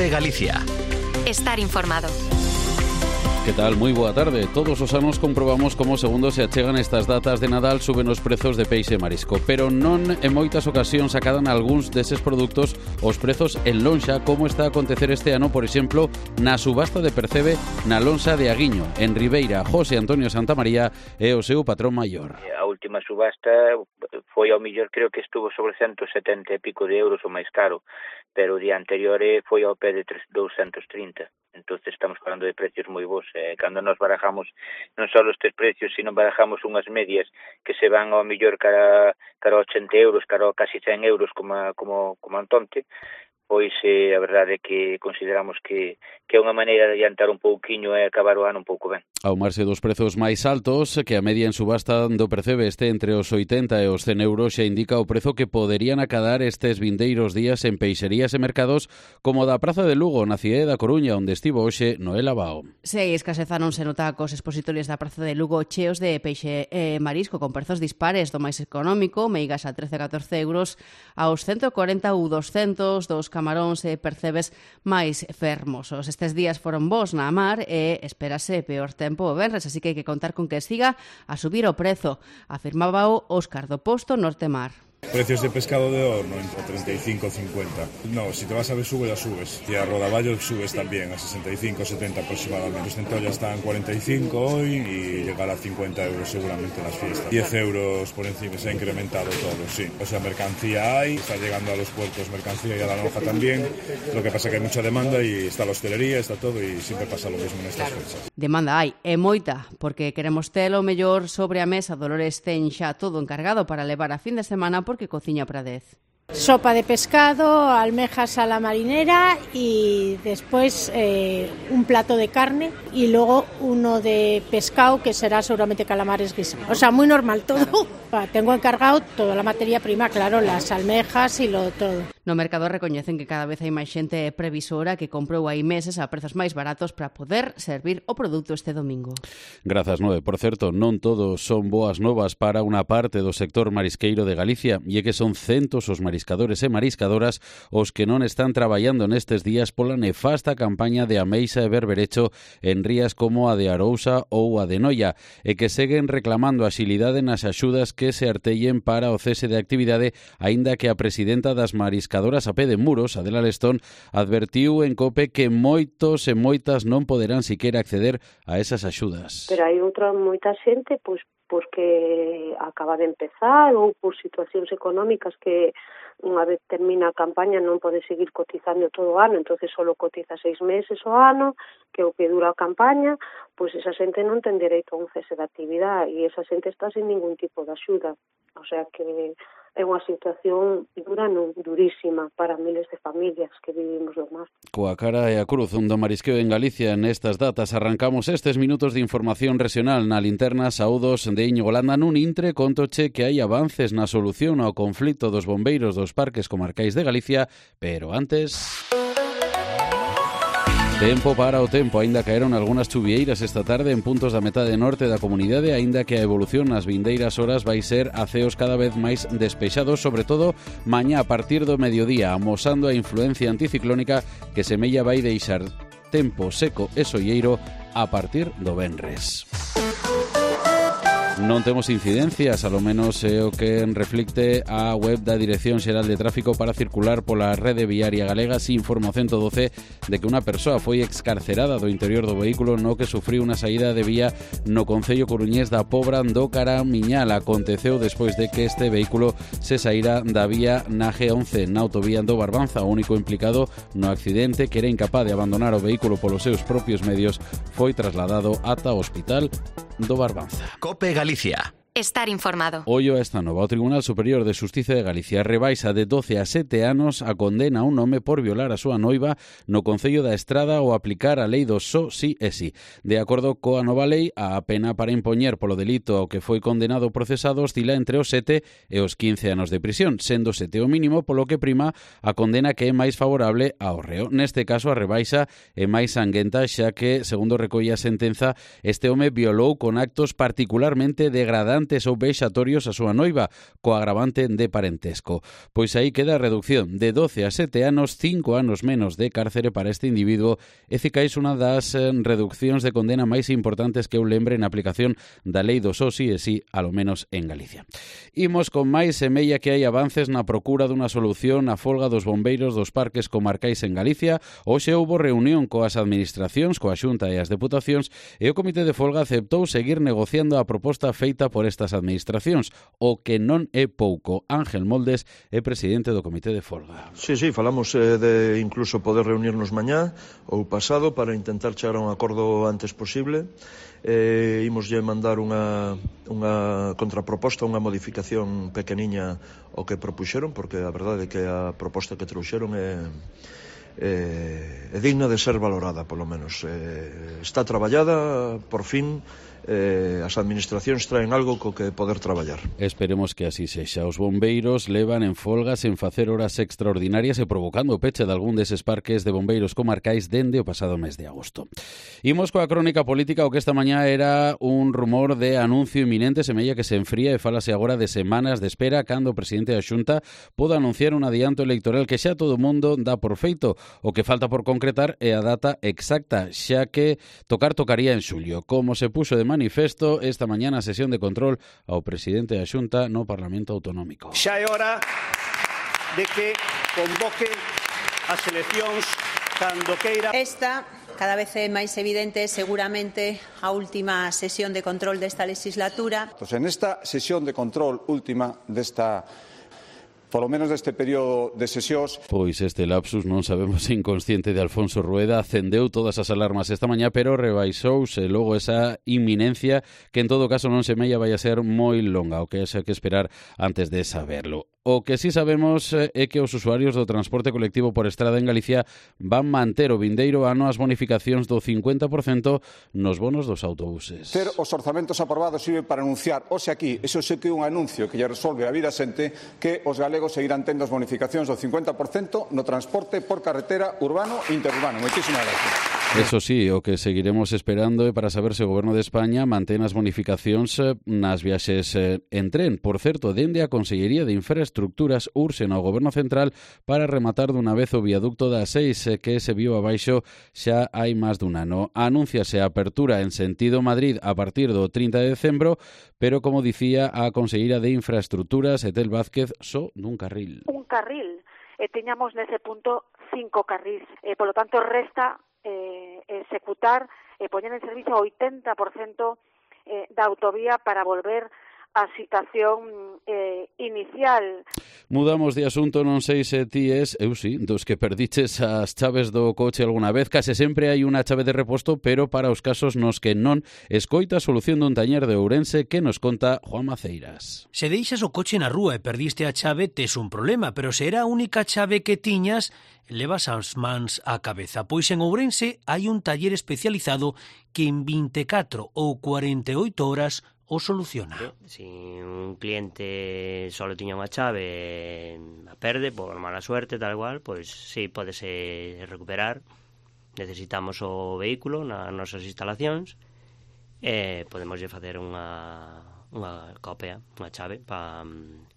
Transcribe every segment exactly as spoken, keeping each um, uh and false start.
COPE Galicia. Estar informado. Que tal? Moi boa tarde. Todos os anos comprobamos como segundo se achegan estas datas de Nadal suben os prezos de peixe e marisco, pero non en moitas ocasións acadan algúns deses produtos os prezos en lonxa, como está a acontecer este ano, por exemplo, na subasta de Percebe na lonxa de Aguiño, en Ribeira. José Antonio Santamaría é o seu patrón maior. A última subasta foi ao millor, creo que estuvo sobre ciento setenta e pico de euros o máis caro, pero o día anterior foi ao pé de doscientos trinta. Entonces estamos falando de precios moi bons. Eh, cando nos barajamos non só estes precios, sino barajamos unhas medias que se van ao millor cara, cara a ochenta euros, cara a casi cen euros como, como, como Antonte, pois eh, a verdade é que consideramos que, que é unha maneira de adiantar un pouquiño e acabar o ano un pouco ben. Ao marxe dos prezos máis altos, que a media en subasta do Percebe este entre os oitenta e os cen euros, xa indica o prezo que poderían acadar estes vindeiros días en peixerías e mercados como da Praza de Lugo, na cidade da Coruña, onde estivo hoxe Noela Bao. Sí, escasezáronse nota cos expositorios da Praza de Lugo cheos de peixe e marisco con prezos dispares do máis económico, meigas a trece a catorce euros, aos ciento cuarenta ou doscientos dos camaróns e percebes máis fermosos. Estes días foron bons na mar e espérase peor tempo o venres, así que hai que contar con que siga a subir o prezo, afirmaba o Óscar do Posto Nortemar. Precios de pescado de horno entre treinta y cinco y cincuenta. No, si te vas a Besugo ya subes. Y a Rodaballo subes también a sesenta y cinco, setenta aproximadamente. Los centollas están cuarenta y cinco hoy y llegará a cincuenta euros seguramente en las fiestas. diez euros por encima, se ha incrementado todo, sí. O sea, mercancía hay, está llegando a los puertos mercancía y a la lonja también. Lo que pasa es que hay mucha demanda y está la hostelería, está todo y siempre pasa lo mismo en estas fechas. Demanda hai, e moita, porque queremos telo mellor sobre a mesa. Dolores ten xa todo encargado para levar a fin de semana porque cociña para dez. Sopa de pescado, almejas a la marinera y después eh, un plato de carne y luego uno de pescado que será seguramente calamares guisados. O sea, muy normal todo. Tengo encargado toda la materia prima, claro, las almejas y lo todo. No mercado recoñecen que cada vez hai máis xente previsora que comprou hai meses a prezos máis baratos para poder servir o produto este domingo. Grazas, Noe. Por certo, non todos son boas novas para unha parte do sector marisqueiro de Galicia, e é que son centos os mariscadores e mariscadoras os que non están traballando nestes días pola nefasta campaña de ameixa e berberecho en rías como a de Arousa ou a de Noia, e que seguen reclamando axilidade nas axudas que se artellen para o cese de actividade, aínda que a presidenta das mariscadoras a pé de muros, Adela Lestón, advertiu en COPE que moitos e moitas non poderán siquera acceder a esas axudas. Pero hai outra moita xente, pois, porque acaba de empezar ou por situacións económicas que unha vez termina a campaña non pode seguir cotizando todo o ano, entonces só cotiza seis meses o ano, que é o que dura a campaña, pois esa xente non ten dereito a un cese de actividade e esa xente está sin ningún tipo de axuda. O sea que é unha situación dura, non, durísima para miles de familias que vivimos do mar. Coa cara e a cruz do marisqueo en Galicia nestas datas arrancamos estes minutos de información regional na linterna Saúdos de Íñigo Landa. Nun intre contoche que hai avances na solución ao conflito dos bombeiros dos parques comarcais de Galicia, pero antes... Tempo para o tempo, aínda caeron algunhas chuvieiras esta tarde en puntos da metade norte da comunidade, aínda que a evolución nas vindeiras horas vai ser a ceos cada vez máis despexados, sobre todo mañá a partir do mediodía, amosando a influencia anticiclónica que semella vai deixar tempo seco e solleiro a partir do venres. Non temos incidencias, alo menos é o que reflicte a web da Dirección Xeral de Tráfico para circular pola rede viaria galega, sin información todo C de que unha persoa foi excarcerada do interior do vehículo no que sufriu unha saída de vía no concello coruñés da Pobra do Caramiñal. Aconteceu despois de que este vehículo se saíra da vía na G once na autovía do Barbanza. O único implicado no accidente, que era incapaz de abandonar o vehículo polos seus propios medios, foi trasladado ata o hospital do Barbanza. COPE Galicia. Estar informado. Ollo a esta nova. O Tribunal Superior de Xustiza de Galicia rebaixa de doce a sete anos a condena a un home por violar a súa noiva no Concello da Estrada ou aplicar a lei do só si e si. De acordo coa nova lei, a pena para impoñer polo delito ao que foi condenado o procesado oscila entre os sete e os quince anos de prisión, sendo sete o mínimo, polo que prima a condena que é máis favorable ao reo. Neste caso, a rebaixa é máis sanguenta, xa que, segundo recolle a sentenza, este home violou con actos particularmente degradantes excitantes ou vexatorios a súa noiva, co agravante de parentesco. Pois aí queda a reducción de doce a sete anos, cinco anos menos de cárcere para este individuo, e cicais unha das reduccións de condena máis importantes que eu lembre na aplicación da lei do só si e si, alo menos en Galicia. Imos con máis, semella que hai avances na procura dunha solución á folga dos bombeiros dos parques comarcais en Galicia. Hoxe houbo reunión coas administracións, coa Xunta e as deputacións, e o Comité de Folga aceptou seguir negociando a proposta feita por estas administracións, o que non é pouco. Ángel Moldes é presidente do Comité de Folga. Sí, sí, falamos eh, de incluso poder reunirnos mañá ou pasado para intentar chegar a un acordo antes posible. Eh, imoslle mandar unha, unha contraproposta, unha modificación pequeniña ao que propuxeron, porque a verdade é que a proposta que trouxeron é, é, é digna de ser valorada, polo menos. Eh, está traballada, por fin, eh, as administracións traen algo co que poder traballar. Esperemos que así sexa. Os bombeiros levan en folgas en facer horas extraordinarias e provocando o peche de algún deses parques de bombeiros comarcais dende o pasado mes de agosto. Imos coa crónica política, o que esta mañá era un rumor de anuncio inminente, semella que se enfría e fálase agora de semanas de espera cando o presidente da Xunta poda anunciar un adianto electoral que xa todo o mundo dá por feito. O que falta por concretar é a data exacta, xa que tocar tocaría en xullo, como se puxo de manifesto esta mañá na sesión de control ao presidente da Xunta no Parlamento Autonómico. Xa é hora de que convoque as eleccións cando queira. Esta cada vez é máis evidente, seguramente a última sesión de control desta legislatura. Pues en esta sesión de control última desta polo menos deste período de sesións. Pois este lapsus, non sabemos se inconsciente de Alfonso Rueda, acendeu todas as alarmas esta mañá, pero rebaixouse logo esa inminencia que en todo caso non semella vai a ser moi longa, o que haxa que esperar antes de saberlo. O que sí sabemos é que os usuarios do transporte colectivo por estrada en Galicia van manter o vindeiro ano as bonificacións do cincuenta por cento nos bonos dos autobuses. Ter os orzamentos aprobados sirve para anunciar, hoxe aquí, eso sei que é un anuncio que lle resolve a vida a xente, que os galegos seguirán tendo as bonificacións do cincuenta por cento no transporte por carretera urbano e interurbano. Moitísimas gracias. Eso sí, o que seguiremos esperando é para saber se o Goberno de España mantén as bonificacións nas viaxes en tren. Por certo, dende a Consellería de Infraestructuras urxen ao Goberno Central para rematar dunha vez o viaducto das seis, que se viu abaixo xa hai máis dun ano. Anúnciase a apertura en sentido Madrid a partir do trinta de decembro, pero, como dicía a Conselleira de Infraestructuras, Etel Vázquez, só dun carril. Un carril. E teñamos nese punto cinco carrís. E, polo tanto, resta eh, executar e eh, poñer en servicio o oitenta por cento eh, da autovía para volver a situación eh, inicial. Mudamos de asunto, non sei se ti es, eu sí, dos que perdiches as chaves do coche alguna vez. Case sempre hai unha chave de reposto, pero para os casos nos que non, escoita a solución dun taller de Ourense que nos conta Juan Maceiras. Se deixas o coche na rúa e perdiste a chave, tes un problema, pero se era a única chave que tiñas, levas as mans á cabeza. Pois en Ourense hai un taller especializado que en vinte e catro ou cuarenta e oito horas o soluciona. Si un cliente só tiña unha chave, a perde por mala suerte, tal cual, pois si, pódese recuperar. Necesitamos o vehículo nas nosas instalacións e podemos facer unha, unha copia, unha chave para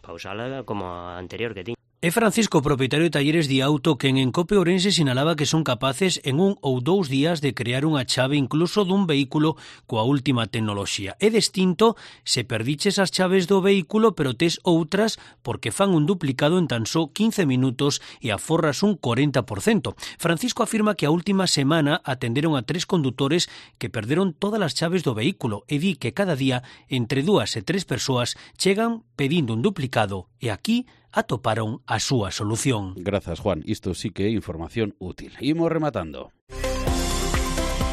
pa usala como a anterior que tiña. É Francisco, propietario de talleres de auto, que en Encope Ourense sinalaba que son capaces en un ou dous días de crear unha chave incluso dun vehículo coa última tecnoloxía. É distinto se perdiches as chaves do vehículo pero tes outras porque fan un duplicado en tan só quince minutos e aforras un cuarenta por cento. Francisco afirma que a última semana atenderon a tres condutores que perderon todas as chaves do vehículo e di que cada día entre dúas e tres persoas chegan pedindo un duplicado e aquí atoparon a súa solución. Grazas, Juan. Isto sí que é información útil. Imos rematando.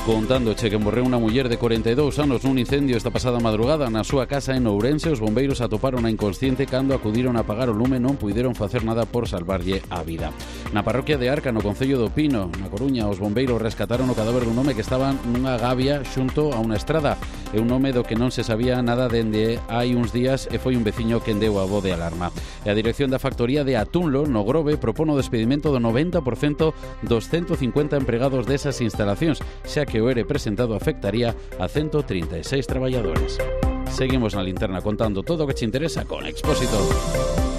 Contándoche que morreu unha muller de cuarenta e dous anos nun incendio esta pasada madrugada na súa casa en Ourense. Os bombeiros atoparon a inconsciente cando acudiron a apagar o lume, non puideron facer nada por salvarlle a vida. Na parroquia de Arca, no concello do Pino, na Coruña, os bombeiros rescataron o cadáver dun home que estaba nunha gavia xunto a unha estrada. É un home do que non se sabía nada dende hai uns días e foi un veciño quen deu a voz de alarma. E a dirección da factoría de Atunlo, no Grove, propón o despedimento do noventa por cento dos ciento cincuenta empregados desas instalacións, xa que o E R E presentado afectaría a ciento trinta e seis traballadores. Seguimos na linterna contando todo o que te interesa con Expósito.